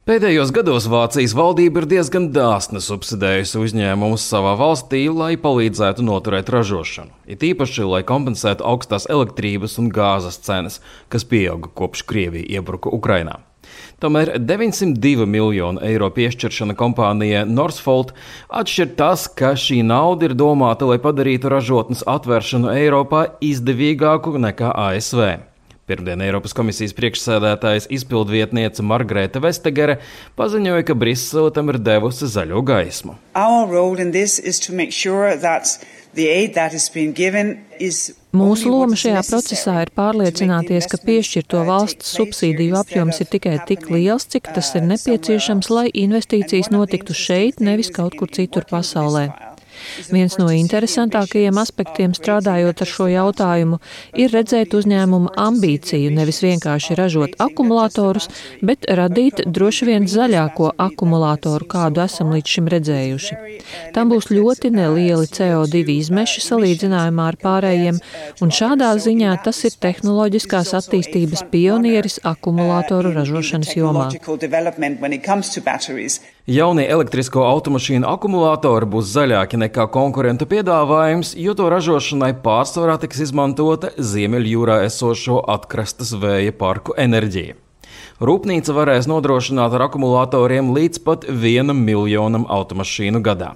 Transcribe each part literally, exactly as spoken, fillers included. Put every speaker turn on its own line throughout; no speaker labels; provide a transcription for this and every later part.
Pēdējos gados Vācijas valdība ir diezgan dāsni subsidējusi uzņēmumus savā valstī, lai palīdzētu noturēt ražošanu. It īpaši, lai kompensētu augstās elektrības un gāzes cenas, kas pieauga kopš Krievija iebruka Ukrainā. Tomēr deviņsimt divi miljonu eiro piešķiršana kompānijai Northvolt atšķir tas, ka šī nauda ir domāta, lai padarītu ražotnes atvēršanu Eiropā izdevīgāku nekā A S V. Pirmdien Eiropas komisijas priekšsēdētājas izpildvietniece Margrethe Vestager paziņoja, ka Brisele tam ir devusi zaļo gaismu.
Mūsu loma šajā procesā ir pārliecināties, ka piešķirto valsts subsīdiju apjoms ir tikai tik liels, cik tas ir nepieciešams, lai investīcijas notiktu šeit, nevis kaut kur citur pasaulē. Viens no interesantākajiem aspektiem strādājot ar šo jautājumu ir redzēt uzņēmumu ambīciju nevis vienkārši ražot akumulatorus, bet radīt droši vien zaļāko akumulatoru, kādu esam līdz šim redzējuši. Tam būs ļoti nelieli C O divi izmeši salīdzinājumā ar pārējiem, un šādā ziņā tas ir tehnoloģiskās attīstības pionieris akumulatoru ražošanas jomā.
Jaunie elektrisko automašīnu akumulātori būs zaļāki nekā konkurentu piedāvājums, jo to ražošanai pārsvarā tiks izmantota Ziemeļjūrā esošo atkrastes vēja parku enerģija. Rūpnīca varēs nodrošināt ar akumulatoriem līdz pat vienam miljonam automašīnu gadā.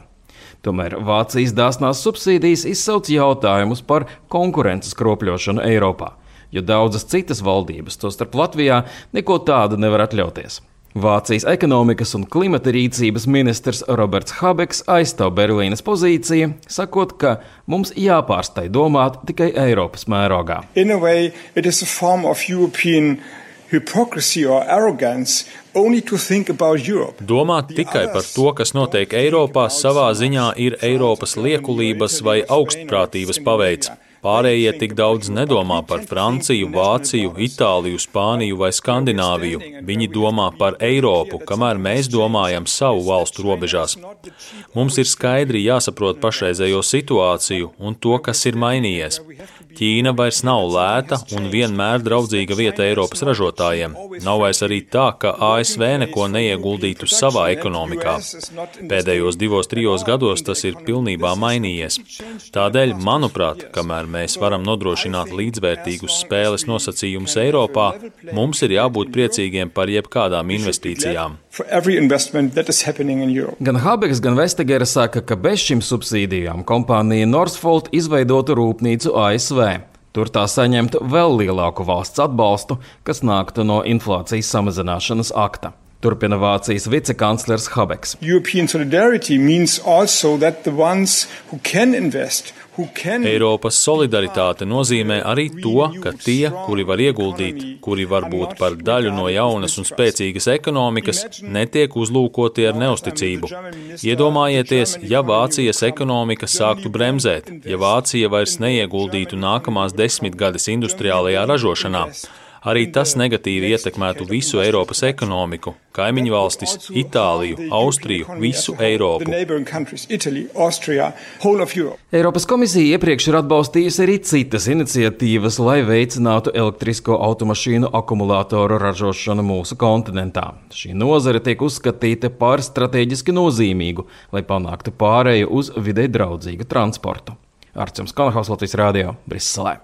Tomēr Vācijas dāsnās subsīdijas izsauc jautājumus par konkurences kropļošanu Eiropā, jo daudzas citas valdības, tostarp Latvijā, neko tādu nevar atļauties. Vācijas ekonomikas un klimata rīcības ministrs Roberts Habeks aizstāv Berlīnes pozīciju, sakot, ka mums jāpārstai domāt tikai Eiropas mērogā.
In a way, it is a form of European hypocrisy or arrogance only to think about Europe.
Domāt tikai par to, kas notiek Eiropā, savā ziņā ir Eiropas liekulības vai augstprātības paveids. Pārējie tik daudz nedomā par Franciju, Vāciju, Itāliju, Spāniju vai Skandināviju. Viņi domā par Eiropu, kamēr mēs domājam savu valstu robežās. Mums ir skaidri jāsaprot pašreizējo situāciju un to, kas ir mainījies. Ķīna vairs nav lēta un vienmēr draudzīga vieta Eiropas ražotājiem. Nav vairs arī tā, ka A S V neko neieguldītu savā ekonomikā. Pēdējos divos, trijos gados tas ir pilnībā mainījies. Tādēļ, manuprāt, kamēr mēs varam nodrošināt līdzvērtīgus spēles nosacījumus Eiropā, mums ir jābūt priecīgiem par jebkādām investīcijām.
Gan Habeks, gan Vestager saka, ka bez šīm subsīdijām kompānija Northvolt izveidotu rūpnīcu A S V. Tur tā saņemtu vēl lielāku valsts atbalstu, kas nāktu no inflācijas samazināšanas akta. Turpina Vācijas vicekanclers Habeks.
Eiropas solidaritāte nozīmē arī to, ka tie, kuri var ieguldīt, kuri var būt par daļu no jaunas un spēcīgas ekonomikas, netiek uzlūkoti ar neusticību. Iedomājieties, ja Vācijas ekonomika sāktu bremzēt, ja Vācija vairs neieguldītu nākamās desmitgades industriālajā ražošanā. Arī tas negatīvi ietekmētu visu Eiropas ekonomiku, kaimiņu valstis, Itāliju, Austriju, visu Eiropu.
Eiropas komisija iepriekš ir atbalstījusi arī citas iniciatīvas, lai veicinātu elektrisko automašīnu akumulātoru ražošanu mūsu kontinentā. Šī nozare tiek uzskatīta par strateģiski nozīmīgu, lai panāktu pārēju uz videi draudzīgu transportu. Arčuns Kanahaus, Latvijas radio, Briselē.